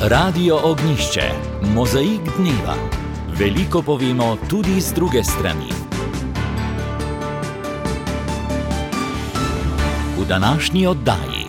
Radio Ognjišče, mozaik dneva. Veliko povemo tudi z druge strani. V današnji oddaji.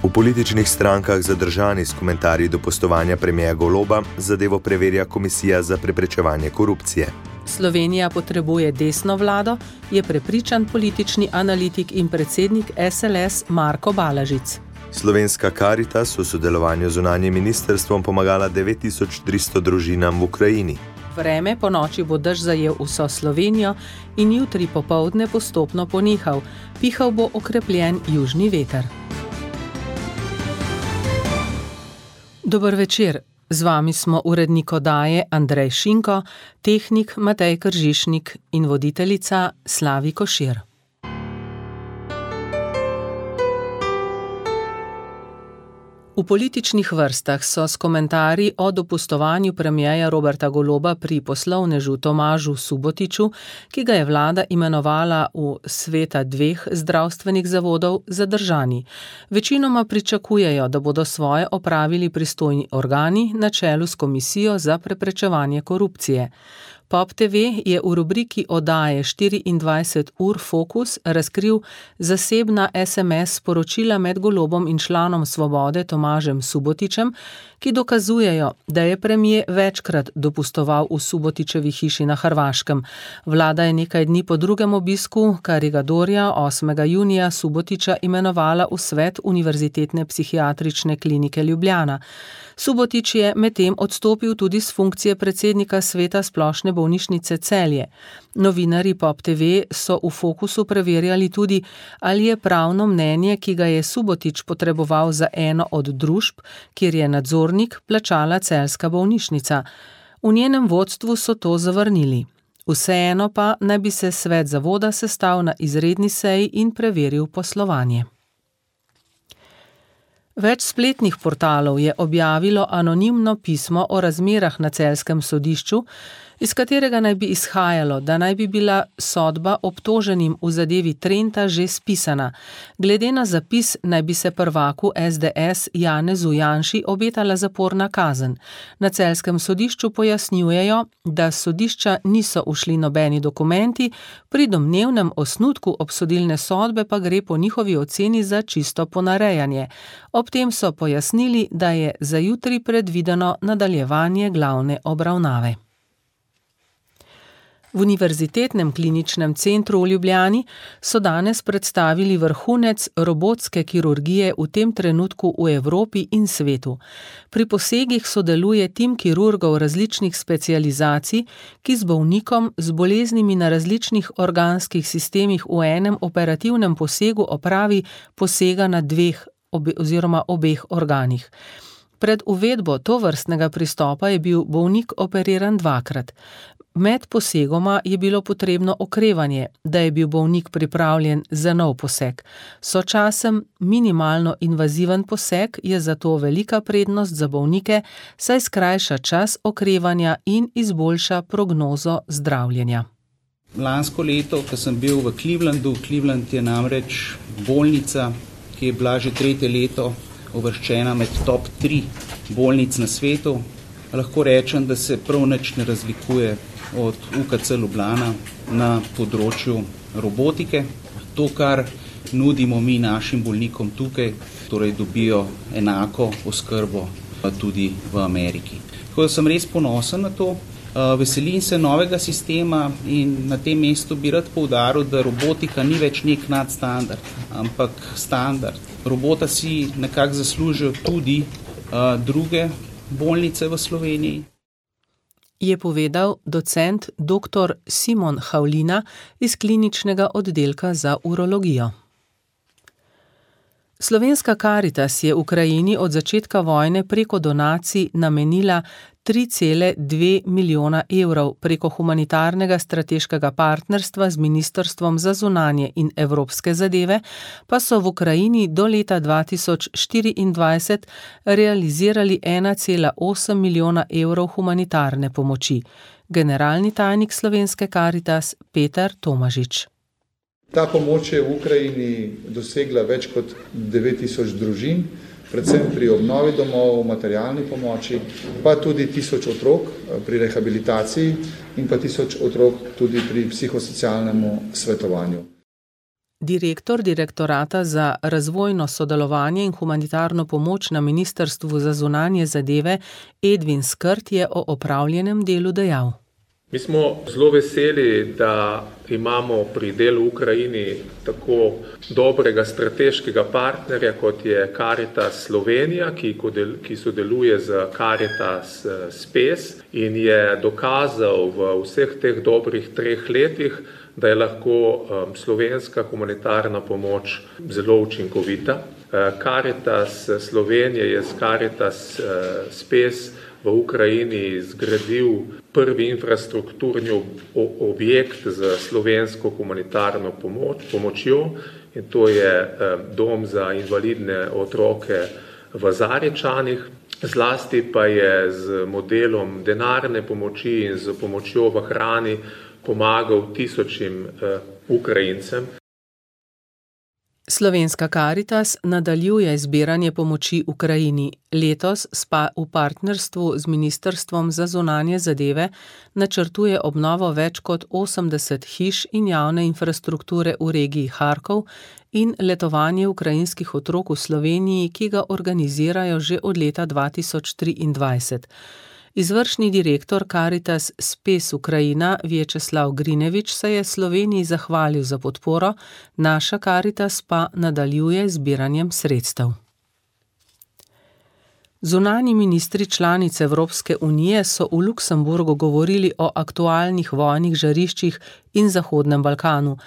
V političnih strankah zadržani s komentarji do postovanja premierja Goloba zadevo preverja Komisija za preprečevanje korupcije. Slovenija potrebuje desno vlado, je prepričan politični analitik in predsednik SLS Marko Balažic. Slovenska Karitas v sodelovanju z zunanjim ministrstvom pomagala 9300 družinam v Ukrajini. Vreme po noči bo dež zajel vso Slovenijo in jutri popoldne postopno ponehal. Pihal bo okrepljen južni veter. Dober večer. Z vami smo urednik oddaje Andrej Šinko, tehnik Matej Kržišnik in voditeljica Slavi Košir. V političnih vrstah so s komentarji o dopustovanju premierja Roberta Goloba pri poslovnežu Tomažu Subotiću, ki ga je vlada imenovala v sveta 2 zdravstvenih zavodov, zadržani. Večinoma pričakujejo, da bodo svoje opravili pristojni organi na čelu s Komisijo za preprečevanje korupcije. Pop TV je v rubriki oddaje 24 ur Fokus razkril zasebna SMS sporočila med Golobom in članom Svobode Tomažem Subotićem, ki dokazujejo, da je premier večkrat dopustoval v Subotićevi hiši na Hrvaškem. Vlada je nekaj dni po drugem obisku Karigadorja 8. junija Subotića imenovala v svet Univerzitetne psihiatrične klinike Ljubljana. Subotić je medtem odstopil tudi z funkcije predsednika sveta splošne bolnišnice Celje. Novinarji Pop TV so v Fokusu preverjali tudi, ali je pravno mnenje, ki ga je Subotić potreboval za eno od družb, kjer je nadzornik, plačala celjska bolnišnica. V njenem vodstvu so to zavrnili. Vseeno pa naj bi se svet zavoda sestal na izredni seji in preveril poslovanje. Več spletnih portalov je objavilo anonimno pismo o razmerah na celjskem sodišču, iz katerega naj bi izhajalo, da naj bi bila sodba obtoženim v zadevi Trenta že spisana. Glede na zapis naj bi se prvaku SDS Janezu Janši obetala zaporna kazen. Na celjskem sodišču pojasnjujejo, da s sodišča niso ušli nobeni dokumenti, pri domnevnem osnutku obsodilne sodbe pa gre po njihovi oceni za čisto ponarejanje. Ob tem so pojasnili, da je za jutri predvideno nadaljevanje glavne obravnave. V Univerzitetnem kliničnem centru v Ljubljani so danes predstavili vrhunec robotske kirurgije v tem trenutku v Evropi in svetu. Pri posegih sodeluje tim kirurgov različnih specializacij, ki z bolnikom z boleznimi na različnih organskih sistemih v enem operativnem posegu opravi posega na 2 oziroma obeh organih. Pred uvedbo tovrstnega pristopa je bil bolnik operiran 2-krat. Med posegoma je bilo potrebno okrevanje, da je bil bolnik pripravljen za nov poseg. Sočasem minimalno invaziven poseg je zato velika prednost za bolnike, saj skrajša čas okrevanja in izboljša prognozo zdravljenja. Lansko leto, ko sem bil v Clevelandu, Cleveland je namreč bolnica, ki je bila že 3. leto uvrščena med top 3 bolnic na svetu. Lahko rečem, da se prav nič ne razlikuje od UKC Ljubljana na področju robotike. To, kar nudimo mi našim bolnikom tukaj, torej dobijo enako oskrbo tudi v Ameriki. Tako da sem res ponosen na to. Veselim se novega sistema in na tem mestu bi rad poudaril, da robotika ni več nek nadstandard, ampak standard. Robota si nekako zaslužijo tudi druge bolnice v Sloveniji. Je povedal docent dr. Simon Havlina iz kliničnega oddelka za urologijo. Slovenska Karitas je Ukrajini od začetka vojne preko donacij namenila 3,2 milijona evrov preko humanitarnega strateškega partnerstva z Ministrstvom za zunanje in evropske zadeve, pa so v Ukrajini do leta 2024 realizirali 1,8 milijona evrov humanitarne pomoči. Generalni tajnik Slovenske Karitas Peter Tomažič. Ta pomoč je v Ukrajini dosegla več kot 9000 družin, predvsem pri obnovi domov, materialni pomoči, pa tudi 1000 otrok pri rehabilitaciji in pa 1000 otrok tudi pri psihosocialnemu svetovanju. Direktor Direktorata za razvojno sodelovanje in humanitarno pomoč na Ministrstvu za zunanje zadeve Edvin Skrt je o opravljenem delu dejal. Mi smo zelo veseli, da imamo pri delu v Ukrajini tako dobrega strateškega partnerja, kot je Caritas Slovenija, ki sodeluje z Caritas Spes in je dokazal v vseh teh dobrih 3 letih, da je lahko slovenska humanitarna pomoč zelo učinkovita. Caritas Slovenije je z Caritas Spes v Ukrajini zgradil prvi infrastrukturni objekt za slovensko humanitarno pomočjo in to je dom za invalidne otroke v Zarečanih. Zlasti pa je z modelom denarne pomoči in z pomočjo v hrani pomagal 1000 Ukrajincem. Slovenska Caritas nadaljuje zbiranje pomoči Ukrajini. Letos v partnerstvu z Ministrstvom za zunanje zadeve načrtuje obnovo več kot 80 hiš in javne infrastrukture v regiji Harkov in letovanje ukrajinskih otrok v Sloveniji, ki ga organizirajo že od leta 2023. Izvršni direktor Caritas Spes Ukrajina Vjačeslav Grinevič se je Sloveniji zahvalil za podporo, naša Caritas pa nadaljuje zbiranjem sredstev. Zunanji ministri članic Evropske unije so v Luksemburgu govorili o aktualnih vojnih žariščih in Zahodnem Balkanu.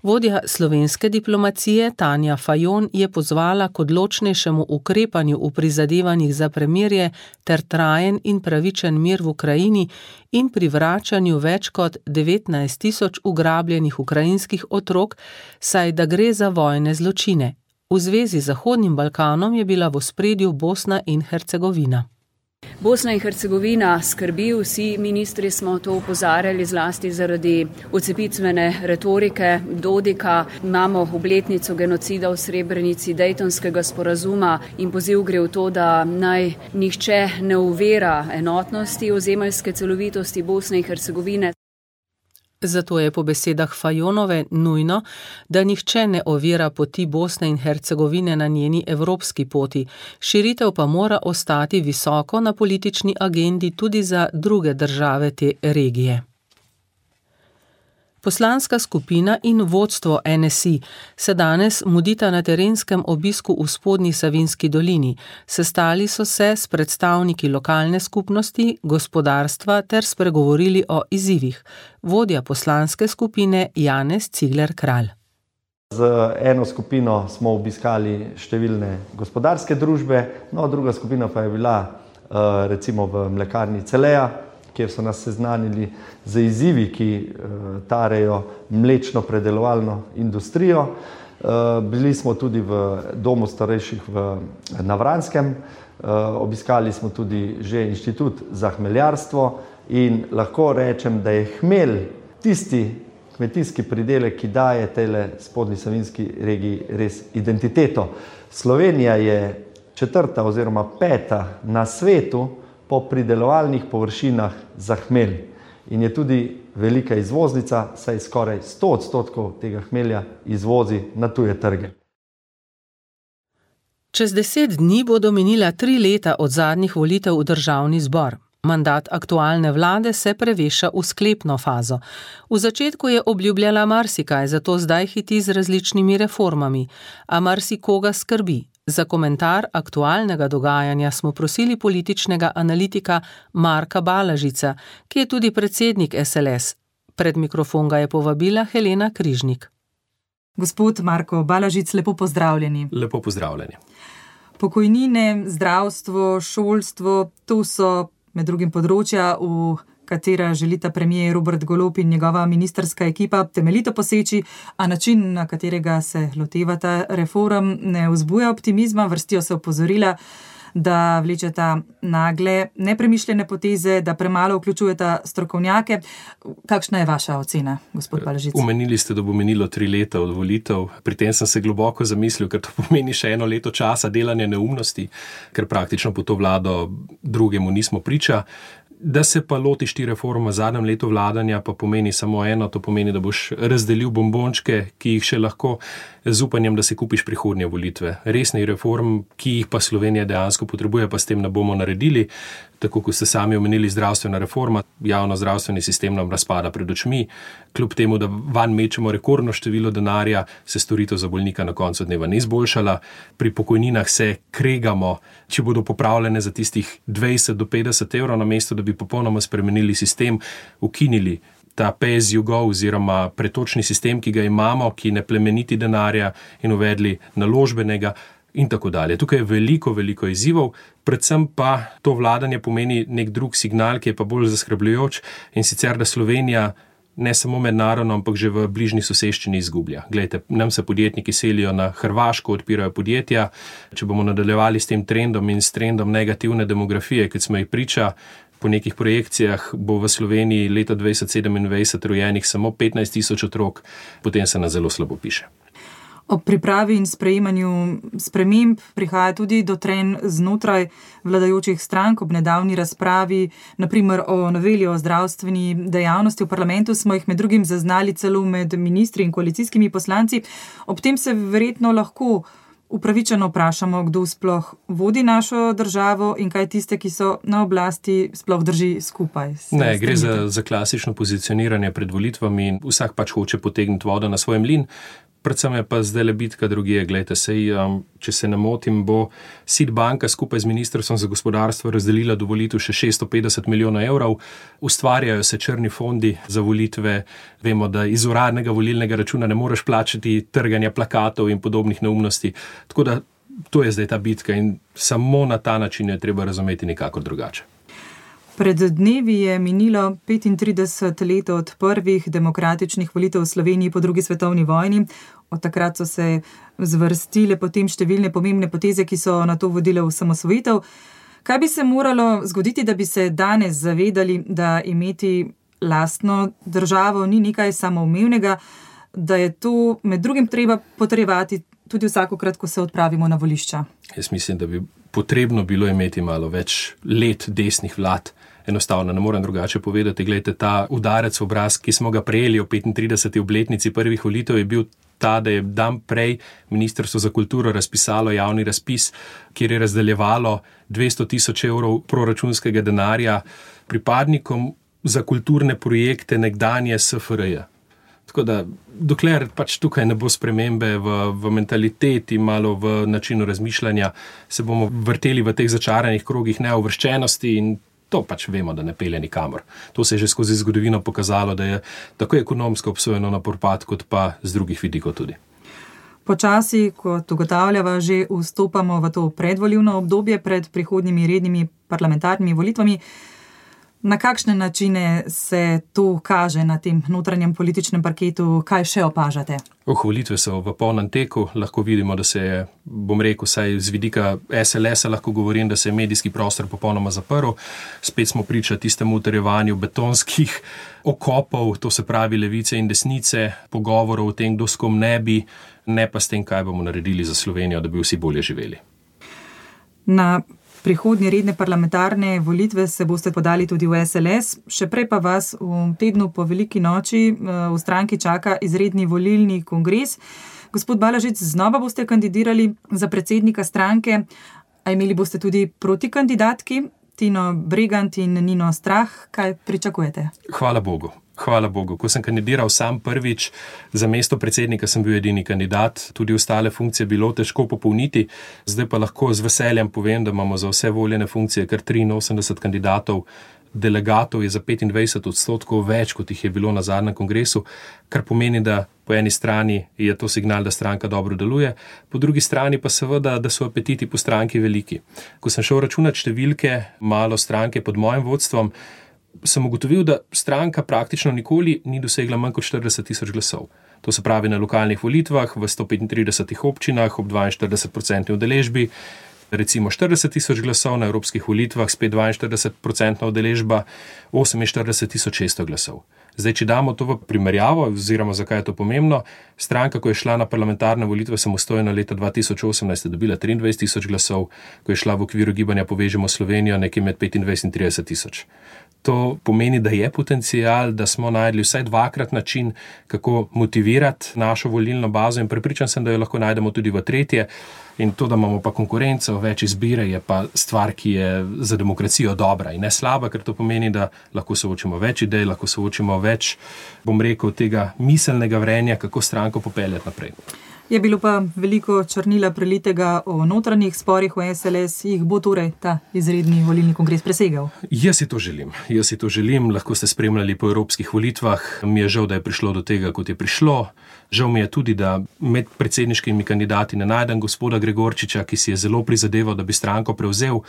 Vodja slovenske diplomacije Tanja Fajon je pozvala k odločnejšemu ukrepanju v prizadevanjih za premirje ter trajen in pravičen mir v Ukrajini in pri vračanju več kot 19 000 ugrabljenih ukrajinskih otrok, saj da gre za vojne zločine. V zvezi z Zahodnim Balkanom je bila v ospredju Bosna in Hercegovina. Bosna in Hercegovina skrbi, vsi ministri smo to opozarjali zlasti zaradi odcepitvene retorike Dodika. Imamo obletnico genocida v Srebrenici, Dejtonskega sporazuma in poziv gre v to, da naj nihče ne ovira enotnosti ozemeljske celovitosti Bosne in Hercegovine. Zato je po besedah Fajonove nujno, da nihče ne ovira poti Bosne in Hercegovine na njeni evropski poti. Širitev pa mora ostati visoko na politični agendi tudi za druge države te regije. Poslanska skupina in vodstvo NSI se danes mudita na terenskem obisku v Spodnji Savinjski dolini. Sestali so se s predstavniki lokalne skupnosti, gospodarstva ter spregovorili o izzivih. Vodja poslanske skupine Janez Cigler Kralj. Z eno skupino smo obiskali številne gospodarske družbe, druga skupina pa je bila recimo v mlekarni Celeja, kjer so nas seznanili z izzivi, ki tarejo mlečno predelovalno industrijo. Bili smo tudi v domu starejših na Vranskem, obiskali smo tudi že inštitut za hmeljarstvo in lahko rečem, da je hmelj tisti kmetijski pridelek, ki daje tejle Spodnji Savinjski regiji res identiteto. Slovenija je 4. oziroma 5. na svetu po pridelovalnih površinah za hmelj in je tudi velika izvoznica, saj skoraj 100% tega hmelja izvozi na tuje trge. Čez 10 dni bodo minila 3 leta od zadnjih volitev v državni zbor. Mandat aktualne vlade se preveša v sklepno fazo. V začetku je obljubljala marsikaj, zato zdaj hiti z različnimi reformami, a marsikoga skrbi. Za komentar aktualnega dogajanja smo prosili političnega analitika Marka Balažica, ki je tudi predsednik SLS. Pred mikrofon ga je povabila Helena Križnik. Gospod Marko Balažic, lepo pozdravljeni. Lepo pozdravljeni. Pokojnine, zdravstvo, šolstvo, to so med drugim področja, v katera želita premier Robert Golob in njegova ministrska ekipa temeljito poseči, a način, na katerega se lotevata reform, ne vzbuja optimizma. Vrstijo se opozorila, da vlečeta nagle, nepremišljene poteze, da premalo vključujeta strokovnjake. Kakšna je vaša ocena, gospod Balažic? Omenili ste, da bo minilo 3 leta od volitev. Pri tem sem se globoko zamislil, ker to pomeni še 1 leto časa delanja neumnosti, ker praktično po to vlado drugemu nismo priča. Da se pa lotiš ti reforma v zadnjem letu vladanja, pa pomeni samo eno, to pomeni, da boš razdelil bombončke, ki jih še lahko, z upanjem, da si kupiš prihodnje volitve. Resnih reform, ki jih pa Slovenija dejansko potrebuje, pa s tem ne bomo naredili. Tako kot ste sami omenili, zdravstvena reforma, javno-zdravstveni sistem nam razpada pred očmi. Kljub temu, da vanj mečemo rekordno število denarja, se storitev za bolnika na koncu dneva ni izboljšala. Pri pokojninah se kregamo, če bodo popravljene za tistih 20 do 50 evrov, namesto da bi popolnoma spremenili sistem, ukinili ta pay as you go oziroma pretočni sistem, ki ga imamo, ki ne plemeniti denarja, in uvedli naložbenega in tako dalje. Tukaj je veliko izzivov, predvsem pa to vladanje pomeni nek drug signal, ki je pa bolj zaskrbljujoč, in sicer, da Slovenija ne samo mednarodno, ampak že v bližnji soseščini izgublja. Glejte, nam se podjetniki selijo na Hrvaško, odpirajo podjetja. Če bomo nadaljevali s tem trendom in s trendom negativne demografije, kot smo jih priča, po nekih projekcijah bo v Sloveniji leta 2027 rojenih samo 15 000 otrok, potem se nas zelo slabo piše. Ob pripravi in sprejemanju sprememb prihaja tudi do trenj znotraj vladajočih strank. Ob nedavni razpravi, naprimer o noveli o zdravstveni dejavnosti v parlamentu, smo jih med drugim zaznali celo med ministri in koalicijskimi poslanci. Ob tem se verjetno lahko upravičeno vprašamo, kdo sploh vodi našo državo in kaj tiste, ki so na oblasti, sploh drži skupaj. Ne, gre za klasično pozicioniranje pred volitvami in vsak pač hoče potegniti vodo na svoj mlin. Predvsem je pa zdaj le bitka drugje. Glejte, če se ne motim, bo SID banka skupaj z Ministrstvom za gospodarstvo razdelila do volitev še 650 milijonov evrov. Ustvarjajo se črni fondi za volitve. Vemo, da iz uradnega volilnega računa ne moreš plačati trganja plakatov in podobnih neumnosti. Tako da to je zdaj ta bitka in samo na ta način je treba razumeti nekako drugače. Pred dnevi je minilo 35 let od prvih demokratičnih volitev v Sloveniji po drugi svetovni vojni. Od takrat so se zvrstile potem številne pomembne poteze, ki so na to vodile v osamosvojitev. Kaj bi se moralo zgoditi, da bi se danes zavedali, da imeti lastno državo ni nekaj samoumevnega, da je to med drugim treba potrjevati tudi vsakokrat, ko se odpravimo na volišča? Jaz mislim, da bi potrebno bilo imeti malo več let desnih vlad. Enostavno, ne morem drugače povedati. Glejte, ta udarec v obraz, ki smo ga prejeli v 35. obletnici prvih volitev, je bil ta, da je dan prej Ministrstvo za kulturo razpisalo javni razpis, kjer je razdeljevalo 200 000 evrov proračunskega denarja pripadnikom za kulturne projekte nekdanje SFRJ. Tako da, dokler pač tukaj ne bo spremembe v mentaliteti, malo v načinu razmišljanja, se bomo vrteli v teh začaranih krogih neuvrščenosti in to pač vemo, da ne pelje nikamor. To se je že skozi zgodovino pokazalo, da je tako ekonomsko obsojeno na propad, kot pa z drugih vidikov tudi. Počasi, kot ugotavljava, že vstopamo v to predvolilno obdobje pred prihodnjimi rednimi parlamentarnimi volitvami. Na kakšne načine se to kaže na tem notranjem političnem parketu? Kaj še opažate? Volitve so v polnem teku. Lahko vidimo, da se je, bom rekel, saj z vidika SLS-a lahko govorim, da se je medijski prostor popolnoma zaprl. Spet smo priča tistemu utrjevanju betonskih okopov, to se pravi levice in desnice, pogovorov o tem, kdo s kom ne bi, ne pa s tem, kaj bomo naredili za Slovenijo, da bi vsi bolje živeli. Na prihodnje redne parlamentarne volitve se boste podali tudi v SLS, še prej pa vas v tednu po veliki noči v stranki čaka izredni volilni kongres. Gospod Balažic, znova boste kandidirali za predsednika stranke, a imeli boste tudi protikandidatki, Tino Bregant in Nino Strah. Kaj pričakujete? Hvala Bogu. Hvala Bogu. Ko sem kandidiral sam prvič za mesto predsednika, sem bil edini kandidat. Tudi ostale funkcije bilo težko popolniti. Zdaj pa lahko z veseljem povem, da imamo za vse voljene funkcije kar 83 kandidatov. Delegatov je za 25% več, kot jih je bilo na zadnjem kongresu, kar pomeni, da po eni strani je to signal, da stranka dobro deluje, po drugi strani pa seveda, da so apetiti po stranki veliki. Ko sem šel računati številke malo stranke pod mojim vodstvom, sem ugotovil, da stranka praktično nikoli ni dosegla manj kot 40 000 glasov. To se pravi na lokalnih volitvah v 135 občinah ob 42% udeležbi. recimo 40.000 glasov, na evropskih volitvah spet 42% udeležba, 48.600 glasov. Zdaj, če damo to v primerjavo, oziroma zakaj je to pomembno, stranka, ko je šla na parlamentarne volitve samostojno leta 2018, je dobila 23.000 glasov, ko je šla v okviru gibanja Povežemo Slovenijo nekje med 25 in 30.000. To pomeni, da je potencial, da smo najdli vsaj dvakrat način, kako motivirati našo volilno bazo in prepričan sem, da jo lahko najdemo tudi v tretje. In to, da imamo pa konkurenco, več izbire, je pa stvar, ki je za demokracijo dobra in ne slaba, ker to pomeni, da lahko soočimo več idej, lahko soočimo več, bom rekel, tega miselnega vrenja, kako stranko popeljati naprej. Je bilo pa veliko črnila prelitega o notranjih sporih v SLS, jih bo torej ta izredni volilni kongres presegal? Jaz si to želim, lahko ste spremljali po evropskih volitvah, mi je žal, da je prišlo do tega, kot je prišlo. Žal mi je tudi, da med predsedniškimi kandidati ne najdem gospoda Gregorčiča, ki si je zelo prizadeval, da bi stranko prevzel,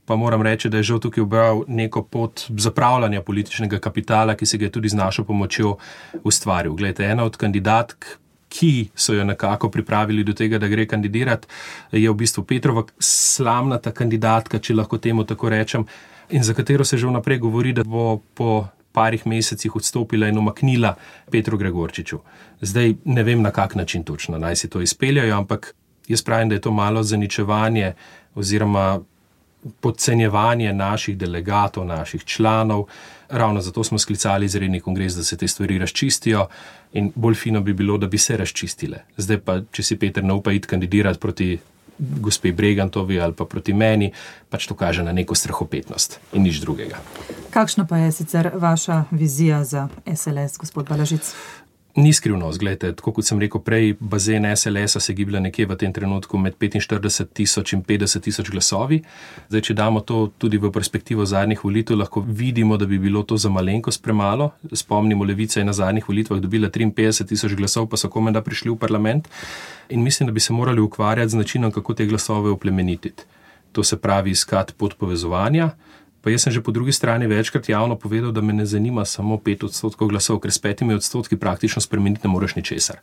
pa moram reči, da je žal tukaj ubral neko pot zapravljanja političnega kapitala, ki se ga je tudi z našo pomočjo ustvaril. Glejte, ena od kandidatk, ki so jo nekako pripravili do tega, da gre kandidirati, je v bistvu Petrova slamnata kandidatka, če lahko temu tako rečem, in za katero se že vnaprej govori, da bo po parih mesecih odstopila in umaknila Petru Gregorčiču. Zdaj ne vem, na kak način točno naj si to izpeljajo, ampak jaz pravim, da je to malo zaničevanje oziroma podcenjevanje naših delegatov, naših članov. Ravno zato smo sklicali izredni kongres, da se te stvari razčistijo in bolj fino bi bilo, da bi se razčistile. Zdaj pa, če si Peter ne upa iti kandidirati proti gospe Bregantovi ali pa proti meni, pač to kaže na neko strahopetnost in nič drugega. Kakšna pa je sicer vaša vizija za SLS, gospod Balažic? Ni skrivnost, gledajte, tako kot sem rekel prej, bazen SLS-a se giblja nekje v tem trenutku med 45.000 in 50.000 glasovi. Zdaj, če damo to tudi v perspektivo zadnjih volitev, lahko vidimo, da bi bilo to za malenkost premalo. Spomnimo, Levica je na zadnjih volitvah dobila 53.000 glasov, pa so komenda prišli v parlament. In mislim, da bi se morali ukvarjati z načinom, kako te glasove oplemenititi. To se pravi iskati pot povezovanja. Pa jaz sem že po drugi strani večkrat javno povedal, da me ne zanima samo 5% glasov, ker s 5% praktično spremeniti ne moreš ničesar.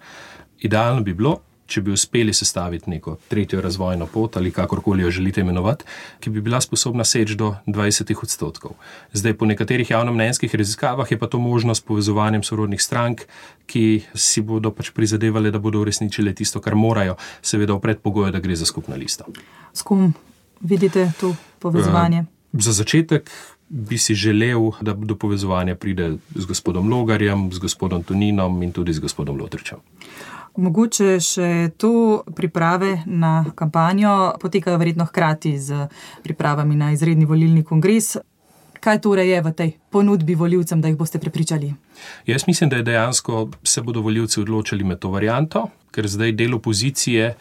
Idealno bi bilo, če bi uspeli sestaviti neko tretjo razvojno pot ali kakorkoli jo želite imenovati, ki bi bila sposobna seči do 20%. Zdaj, po nekaterih javnomnenjskih raziskavah je pa to možno s povezovanjem sorodnih strank, ki si bodo pač prizadevali, da bodo uresničile tisto, kar morajo, seveda v predpogoju, da gre za skupno listo. S kom vidite to povezovanje? Za začetek bi si želel, da do povezovanja pride z gospodom Logarjem, z gospodom Toninom in tudi z gospodom Lotričem. Mogoče še to priprave na kampanjo potekajo verjetno hkrati z pripravami na izredni volilni kongres. Kaj torej je v tej ponudbi volivcem, da jih boste prepričali? Jaz mislim, da je dejansko se bodo volivci odločili med to varianto, ker zdaj del opozicije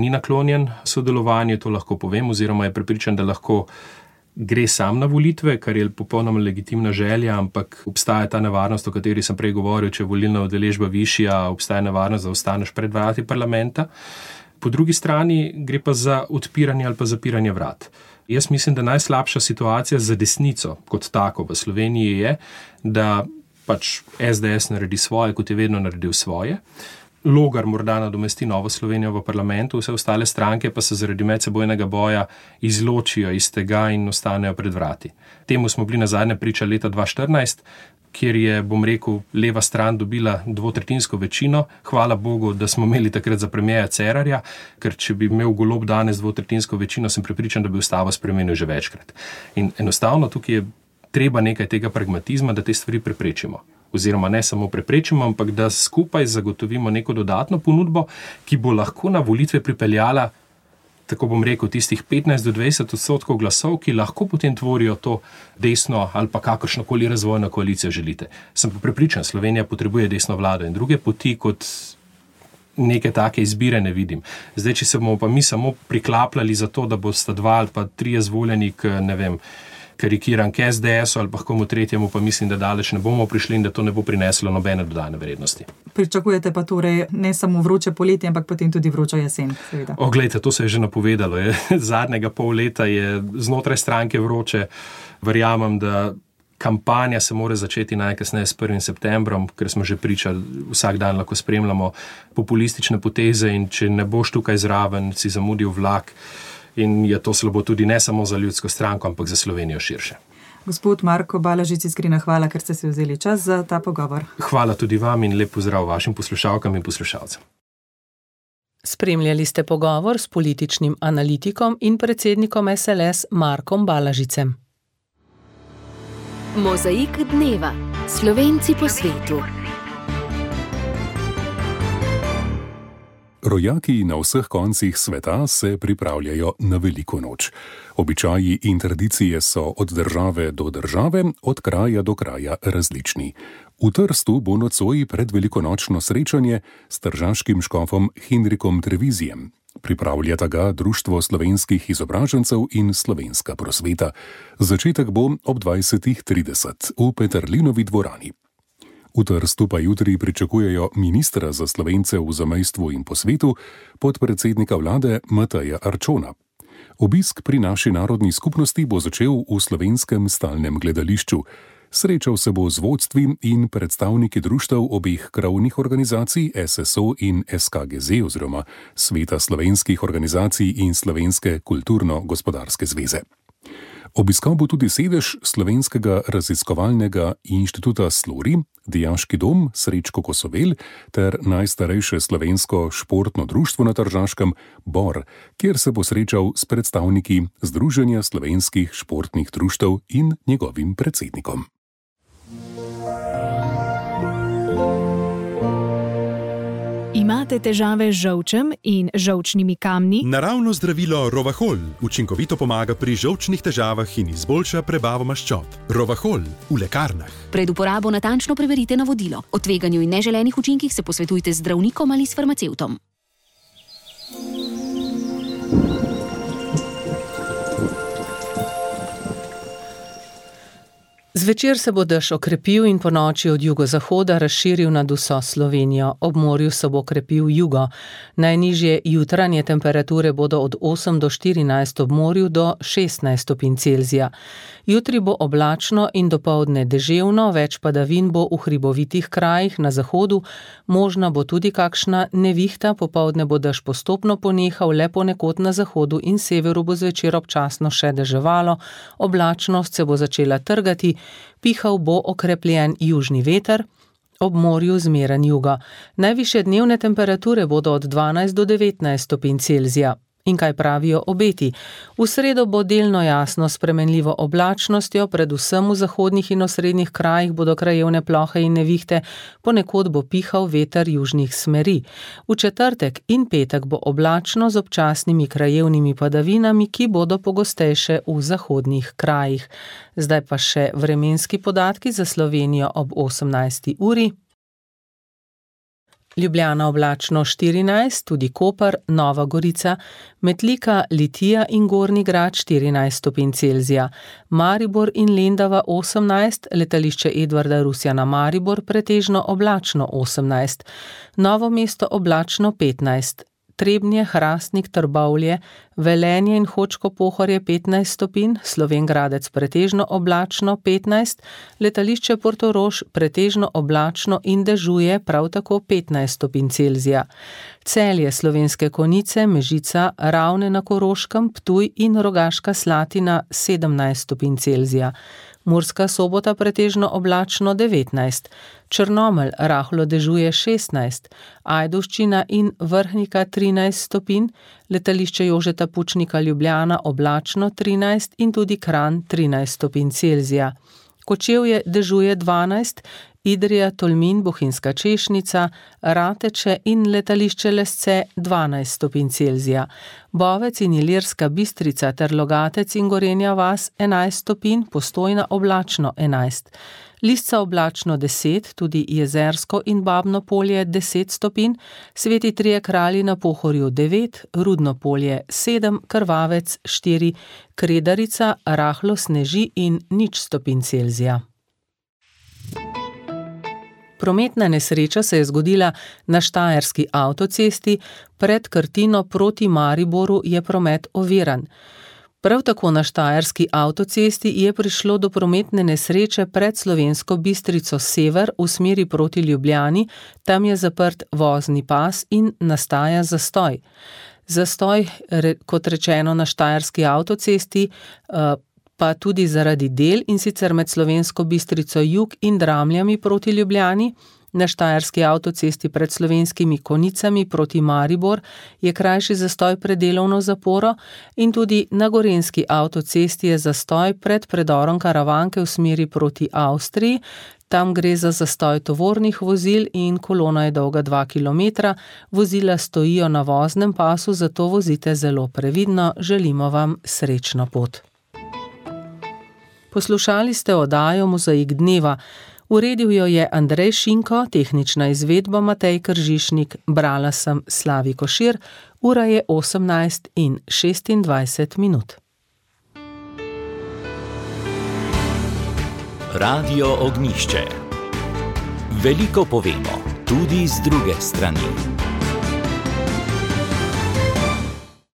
ni naklonjen sodelovanju, to lahko povem, oziroma je prepričan, da lahko gre sam na volitve, kar je popolnoma legitimna želja, ampak obstaja ta nevarnost, o kateri sem prej govoril, če je volilna udeležba višja, obstaja nevarnost, da ostaneš pred vrati parlamenta. Po drugi strani gre pa za odpiranje ali pa zapiranje vrat. Jaz mislim, da najslabša situacija za desnico kot tako v Sloveniji je, da pač SDS naredi svoje, kot je vedno naredil svoje. Logar morda nadomesti Novo Slovenijo v parlamentu, vse ostale stranke pa se zaradi medsebojnega boja izločijo iz tega in ostanejo pred vrati. Temu smo bili nazadnje priča leta 2014, kjer je, bom rekel, leva stran dobila dvotretjinsko večino. Hvala Bogu, da smo imeli takrat za premierja Cerarja, ker če bi imel Golob danes dvotretjinsko večino, sem prepričan, da bi ustavo spremenil že večkrat. In enostavno tukaj je treba nekaj tega pragmatizma, da te stvari preprečimo. Oziroma ne samo preprečimo, ampak da skupaj zagotovimo neko dodatno ponudbo, ki bo lahko na volitve pripeljala, tako bom rekel, tistih 15 do 20% glasov, ki lahko potem tvorijo to desno ali pa kakršnokoli razvojno koalicijo želite. Sem pa prepričan, Slovenija potrebuje desno vlado in druge poti kot neke take izbire ne vidim. Zdaj, če se bomo pa mi samo priklapljali za to, da bosta 2 ali pa 3 izvoljeni k, ne vem, karikiran k SDS-u ali pa komu tretjemu, pa mislim, da daleč ne bomo prišli in da to ne bo prineslo nobene dodane vrednosti. Pričakujete pa torej ne samo vroče poletje, ampak potem tudi vročo jesen, seveda. Glejte, to se je že napovedalo. Zadnjega pol leta je znotraj stranke vroče. Verjamem, da kampanja se mora začeti najkasneje s 1. septembrom, ker smo že pričali, vsak dan lahko spremljamo populistične poteze in če ne boš tukaj zraven, si zamudil vlak. in je to slabo tudi ne samo za Ljudsko stranko, ampak za Slovenijo širše. Gospod Marko Balažič, iskrena hvala, ker ste si vzeli čas za ta pogovor. Hvala tudi vam in lep pozdrav vašim poslušalkam in poslušalcem. Spremljali ste pogovor s političnim analitikom in predsednikom SLS Markom Balažicem. Mozaik dneva. Slovenci po svetu. Rojaki na vseh koncih sveta se pripravljajo na veliko noč. Običaji in tradicije so od države do države, od kraja do kraja različni. V Trstu bo nocoj pred velikonočno srečanje s tržaškim škofom Henrikom Trevizijem. Pripravljata ga Društvo slovenskih izobražencev in Slovenska prosveta. Začetek bo ob 20:30 v Peterlinovi dvorani. V Trstu pa jutri pričakujejo ministra za Slovence v zamejstvu in po svetu, podpredsednika vlade Mateja Arčona. Obisk pri naši narodni skupnosti bo začel v Slovenskem stalnem gledališču. Srečal se bo z vodstvi in predstavniki društev obeh krovnih organizacij SSO in SKGZ oziroma Sveta slovenskih organizacij in Slovenske kulturno-gospodarske zveze. Obiskal bo tudi sedež Slovenskega raziskovalnega inštituta Slori, Dijaški dom Srečko Kosovel ter najstarejše slovensko športno društvo na Tržaškem Bor, kjer se bo srečal s predstavniki Združenja slovenskih športnih društev in njegovim predsednikom. Imate težave z žolčem in žolčnimi kamni? Naravno zdravilo Rovahol učinkovito pomaga pri žolčnih težavah in izboljša prebavo maščob. Rovahol v lekarnah. Pred uporabo natančno preverite navodilo. O tveganju in neželenih učinkih se posvetujte z zdravnikom ali s farmacevtom. Zvečer se bo dež okrepil in ponoči od jugozahoda razširil nad vso Slovenijo. Ob morju se bo okrepil jugo. Najnižje jutranje temperature bodo od 8 do 14 ob morju do 16 stopinj Celzija. Jutri bo oblačno in dopoldne deževno, več padavin bo v hribovitih krajih na zahodu, možna bo tudi kakšna nevihta, popoldne bo dež postopno ponehal, le ponekod na zahodu in severu bo zvečer občasno še deževalo, oblačnost se bo začela trgati, pihal bo okrepljen južni veter, ob morju zmeren jugo. Najvišje dnevne temperature bodo od 12 do 19 stopinj Celzija. In kaj pravijo obeti? V sredo bo delno jasno spremenljivo oblačnostjo, predvsem v zahodnih in osrednjih krajih bodo krajevne plohe in nevihte, ponekod bo pihal veter južnih smeri. V četrtek in petek bo oblačno z občasnimi krajevnimi padavinami, ki bodo pogostejše v zahodnih krajih. Zdaj pa še vremenski podatki za Slovenijo ob 18. uri. Ljubljana oblačno 14, tudi Koper, Nova Gorica, Metlika, Litija in Gornji Grad 14 stopinj Celzija, Maribor in Lendava 18, letališče Edvarda Rusjana Maribor pretežno oblačno 18, Novo mesto oblačno 15, Trebnje, Hrastnik, Trbovlje, Velenje in Hočko Pohorje 15 stopinj, Slovenj Gradec pretežno oblačno 15, letališče Portorož pretežno oblačno in dežuje prav tako 15 stopinj Celzija. Celje, Slovenske Konjice, Mežica, Ravne na Koroškem, Ptuj in Rogaška Slatina 17 stopinj Celzija. Murska Sobota pretežno oblačno 19, Črnomelj rahlo dežuje 16, Ajdovščina in Vrhnika 13 stopinj, letališče Jožeta Pučnika Ljubljana oblačno 13 in tudi Kranj 13 stopinj Celzija. Kočevje dežuje 12, Idrija, Tolmin, Bohinjska Češnica, Rateče in letališče Lesce 12 stopinj Celzija. Bovec in Ilirska Bistrica ter Logatec in Gorenja vas 11 stopinj, Postojna oblačno 11. Lisca oblačno 10, tudi Jezersko in Babno Polje 10 stopinj, Sveti Trije Kralji na Pohorju 9, Rudno Polje 7, Krvavec 4, Kredarica rahlo sneži in 0 stopinj Celzija. Prometna nesreča se je zgodila na Štajerski avtocesti, pred Krtino proti Mariboru je promet oviran. Prav tako na Štajerski avtocesti je prišlo do prometne nesreče pred Slovensko Bistrico sever v smeri proti Ljubljani, tam je zaprt vozni pas in nastaja zastoj. Zastoj, kot rečeno, na Štajerski avtocesti, pa tudi zaradi del, in sicer med Slovensko Bistrico jug in Dramljami proti Ljubljani. Na Štajerski avtocesti pred Slovenskimi Konicami proti Maribor je krajši zastoj pred delovno zaporo in tudi na Gorenjski avtocesti je zastoj pred predorom Karavanke v smeri proti Avstriji. Tam gre za zastoj tovornih vozil in kolona je dolga 2 km. Vozila stojijo na voznem pasu, zato vozite zelo previdno. Želimo vam srečno pot. Poslušali ste oddajo Mozaik dneva. Uredil jo je Andrej Šinko, tehnična izvedba Matej Kržišnik, brala sem Slavi Košir, ura je 18:26. Radio Ognjišče. Veliko povemo, tudi z druge strani.